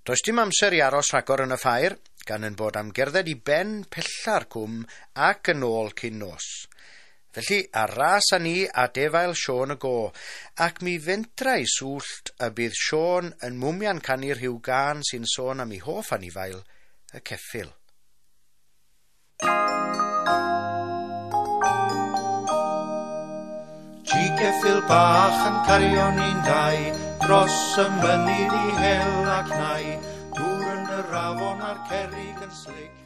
Does dim amser i aros rhagor yn y ffair, gan yn bod am gerdded i ben pella'r cwm ac yn ôl cyn nos. Felly, ar ras â ni a defail Siôn y Go, ac mi fentra i swllt y bydd Siôn yn mwmian canu rhyw gân sy'n sôn am ei hoff anifail, y ceffyl. Ci ceffyl bach yn cario ni'n dau, dros y mynydd i hel ac nai, dŵr yn yr afon a'r cerrig yn slic.